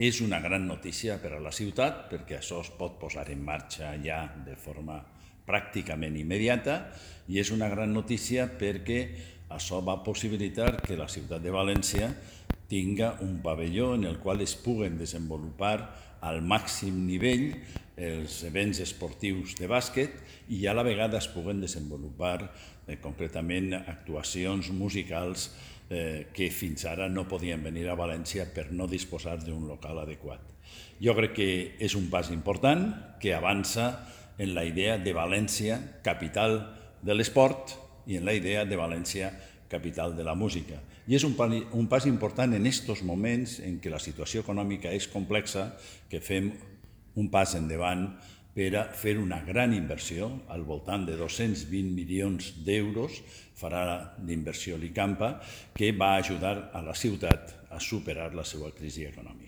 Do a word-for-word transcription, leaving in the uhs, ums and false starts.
És una gran notícia per a la ciutat perquè això es pot posar en marxa ja de forma pràcticament immediata i és una gran notícia perquè això va possibilitar que la ciutat de València tinga un pavelló en el qual es puguen desenvolupar al màxim nivell els events esportius de bàsquet i a la vegada es puguen desenvolupar eh, concretament actuacions musicals eh, que fins ara no podien venir a València per no disposar d'un local adequat. Jo crec que és un pas important que avança en la idea de València capital de l'esport i en la idea de València capital de la música. I és un, un pas important en aquests moments en què la situació econòmica és complexa, que fem un pas endavant per a fer una gran inversió, al voltant de dos-cents vint milions d'euros, farà d'inversió l'ICAMPA, que va ajudar a la ciutat a superar la seva crisi econòmica.